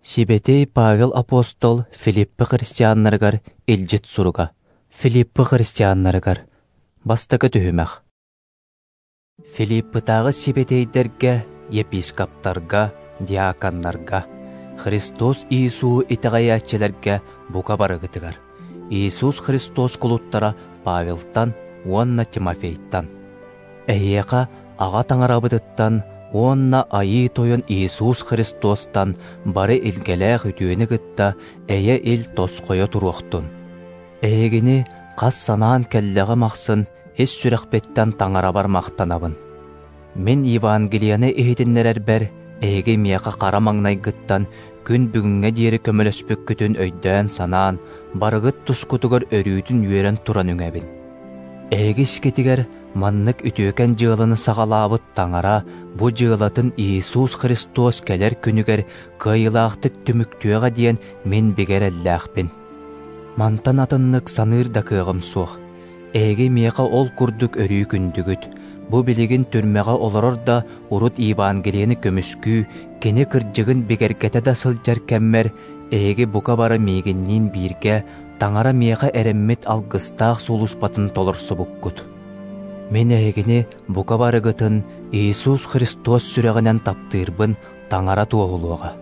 Сибэтиэй Павел апостол Филиппы христианнарыгар илдьит суруга. Филиппы христианнарыгар. Бастакы түһүмэх. Филиппытааҕы сибэтиэйдэргэ, епископтарга, диаконнарга, Христос Иисуһу итэҕэйээччилэргэ бука барыгытыгар, Иисус Христос кулуттара Павелтан уонна Тимофейтан. Эһиэхэ Аҕа Таҥарабытыттан уонна Айыы Тойон Иисус Христостан бары илгэлээх үтүөнү кытта эйэ-ил тосхойо туруохтун. Эһигини хас санаан кэллэҕим ахсын ис сүрэхпиттэн Таҥарабар махтанабын. Мин Евангелиены иһитиннэрэрбэр эһиги миэхэ хара маҥнайгыттан күн бүгүҥҥэ диэри көмөлөспүккүтүн өйдөөн-санаан, барыгыт тускутугар өрүүтүн үөрэн туран үҥэбин. Эһиги искитигэр маннык үтүөкэн дьыаланы саҕалаабыт Таҥара бу дьыалатын Иисус Христос кэлэр күнүгэр кыайыылаахтык түмүктүөҕэ диэн мин бигэ эрэллээхпин. Мантан атыннык саныыр да кыаҕым суох. Эһиги миэхэ ол курдук өрүү күндүгүт. Бу билигин түрмэҕэ олорор да урут Евангелиены көмүскүү, кини кырдьыгын бигэргэтэ да сылдьар кэммэр эһиги бука бары миигинниин бииргэ Таҥара миэхэ эрэммит алгыстаах сулууспатын толорсубуккут. Мин эһигини бука барыгытын Иисус Христос сүрэҕинэн таптыырбын Таҥара туоһулуоҕа.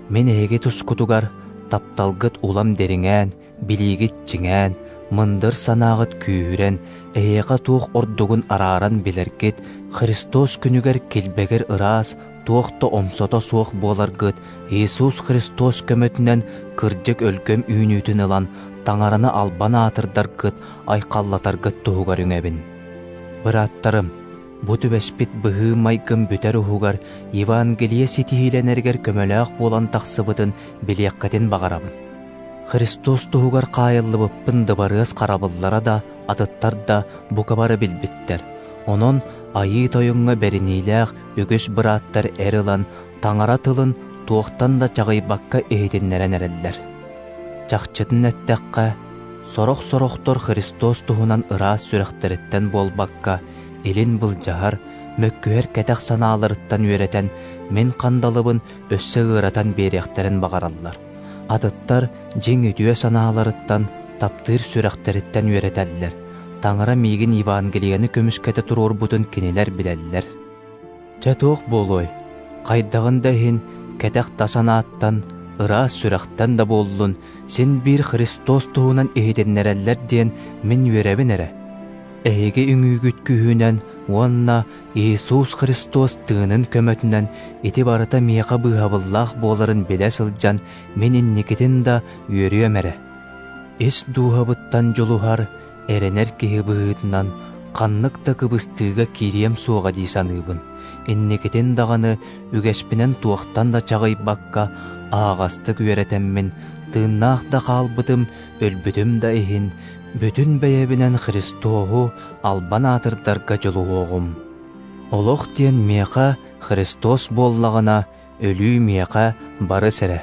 Мин эһиги тускутугар тапталгыт улам дириҥээн, билиигит чиҥээн, мындыр санааҕыт күүһүрэн, эһиэхэ туох ордугун арааран билэргит, Христос күнүгэр килбэгир ыраас, туох да омсото суох буоларгыт Иисус Христос көмөтүнэн кырдьык өлгөм үүнүүтүн ылан, Таҥараны албан аатырдаргыт, айхаллатаргыт туһугар үҥэбин. Бырааттарым, бу түбэспит быһыы-майгым бүтэр уһугар Евангелие ситиһиилэнэригэр көмөлөөх буолан тахсыбытын билиэххитин баҕарабын. Христос туһугар хаайыллыбыппын дыбарыас харабыллара да, атыттар да бука бары билбиттэр. Онон Айыы Тойоҥҥо бэриниилээх үгүс бырааттар эр ылан, Таҥара тылын туохтан да чаҕыйбакка иһитиннэрэн эрэллэр. Чахчытын эттэххэ, сорох-сорохтор Христос туһунан ыраас сүрэхтэриттэн буолбакка, илин былдьаһар, мөккүһэр кэтэх санааларыттан үөрэтэн, мин хандалыбын өссө ыаратан биэриэхтэрин баҕараллар. Атыттар дьиҥ үтүө санааларыттан, таптыыр сүрэхтэриттэн үөрэтэллэр. Таҥара миигин Евангелиены көмүскэтэ туруорбутун кинилэр билэллэр. Чэ туох буолуой, хайдаҕын да иһин, кэтэх да санааттан, ыраас сүрэхтэн да буоллун, син биир Христос туһунан иһитиннэрэллэр диэн мин үөрэбин эрэ. Эһиги үҥүүгүт күүһүнэн уонна Иисус Христос тыынын көмөтүнэн ити барыта миэхэ быыһабыллаах буоларын билэ сылдьан мин инникитин да үөрүөм эрэ. Ис дууһабыттан дьулуһар, эрэнэр киһи быһыытынан ханнык да кыбыстыыга киириэм суоҕа дии саныыбын. Инникитин даҕаны үгэспинэн туохтан да чаҕыйбакка аһаҕастык үөрэтэммин, тыыннаах да хаалбытым, өлбүтүм да иһин, бүтүн бэйэбинэн Христоһу албан аатырдарга дьулуһуоҕум. Олох диэн миэхэ Христос буоллаҕына, өлүү миэхэ барыс эрэ.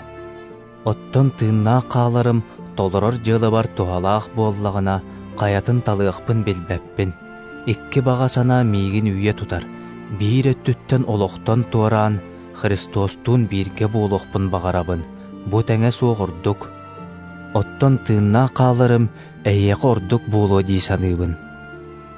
Оттон тыыннаах хааларым толорор дьыалабар туһалаах буоллаҕына, хайатын талыахпын билбэппин. Икки баҕа санаа миигин үүйэ тутар. Биир өттүттэн олохтон туораан, Христостуун бииргэ буолуохпун баҕарабын. Бу тэҥэ суох ордук. Оттон тыыннаах хааларым эһиэхэ ордук буолуо дии саныыбын.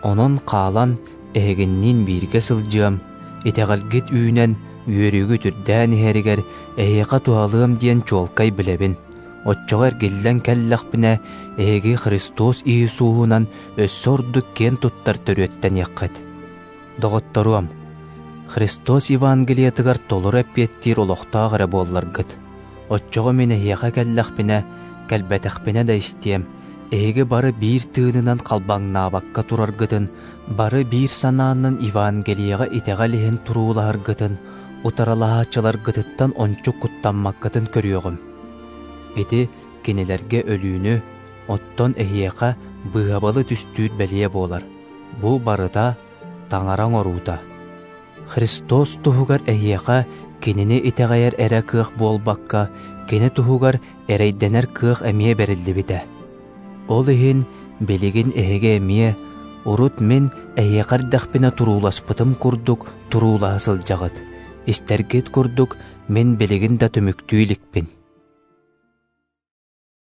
Онон хаалан эһигинниин бииргэ сылдьыам, итэҕэлгит үүнэн, үөрүүгүт үрдээн иһэригэр эһиэхэ туһалыам диэн чуолкай билэбин. Оччоҕо эргиллэн кэллэхпинэ, эһиги Христос Иисуһунан өссө ордук киэн туттар төрүөттэниэххит. Доҕотторуом, Христос Евангелиетыгар толору эппиэттиир олохтоох эрэ буолларгыт, оччоҕо мин эһиэхэ кэллэхпинэ, кэлбэтэхпинэ да истиэм, эһиги бары биир тыынынан халбаҥнаабакка тураргытын, бары биир санаанан Евангелиеҕа итэҕэл иһин туруулаһаргытын, утарылаһааччыларгытыттан ончу куттаммаккытын көрүөҕүм. Ити кинилэргэ өлүүнү, оттон эһиэхэ быыһабалы түстүүр бэлиэ буолар. Бу барыта Таҥара оҥоруута. Христос туһугар эһиэхэ кинини итэҕэйэр эрэ кыах буолбакка, кини туһугар эрэйдэнэр кыах эмиэ бэриллибитэ. Ол иһин билигин эһиги эмиэ урут мин эһиэхэ эрдэхпинэ турууласпытым курдук туруулаһа сылдьаҕыт. Истэргит курдук Мин билигин да түмүктүү иликпин.